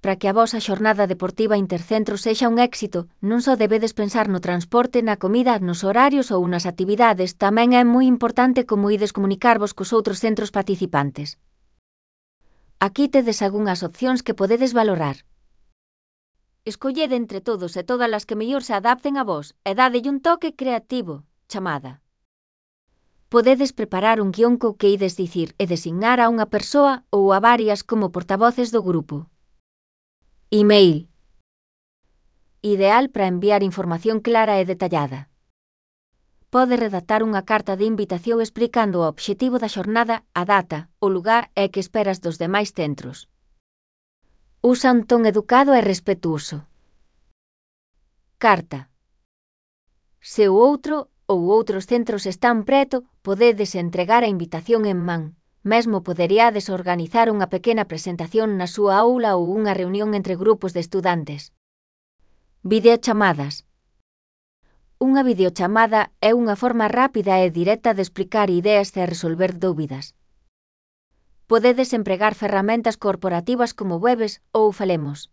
Para que a vosa xornada deportiva intercentro sexa un éxito, non só debedes pensar no transporte, na comida, nos horarios ou nas actividades, tamén é moi importante como ides comunicarvos cos outros centros participantes. Aquí tedes algunhas opcións que podedes valorar. Escollede entre todos e todas as que mellor se adapten a vos e dadelle un toque creativo, chamada. Podedes preparar un guión co que ides dicir e designar a unha persoa ou a varias como portavoces do grupo. Email. Ideal para enviar información clara e detallada. Pode redactar unha carta de invitación explicando o obxectivo da xornada, a data, o lugar e que esperas dos demais centros. Usa un ton educado e respetuoso. Carta. Se o outro ou outros centros están preto, podedes entregar a invitación en man. Mesmo poderíades organizar unha pequena presentación na súa aula ou unha reunión entre grupos de estudantes. Videochamadas. Unha videochamada é unha forma rápida e directa de explicar ideas e resolver dúbidas. Podedes empregar ferramentas corporativas como Webex ou Falemos.